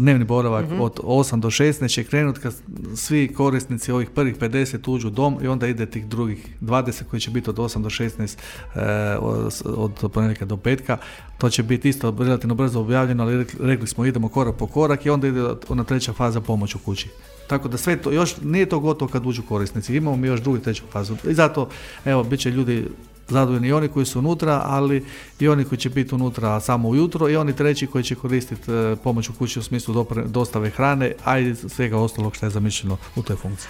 dnevni boravak od 8 do 16 će krenuti kad svi korisnici ovih prvih 50 uđu u dom i onda ide tih drugih 20 koji će biti od 8 do 16 od ponedjeljka do petka. To će biti isto relativno brzo objavljeno, ali rekli smo idemo korak po korak i onda ide ona treća faza pomoć u kući. Tako da sve to, još nije to gotovo kad uđu korisnici, imamo mi još drugu i treću fazu. I zato, evo, bit će ljudi zadovoljni i oni koji su unutra, ali i oni koji će biti unutra samo ujutro i oni treći koji će koristiti pomoć u kući u smislu dostave hrane, a i svega ostalog što je zamišljeno u toj funkciji.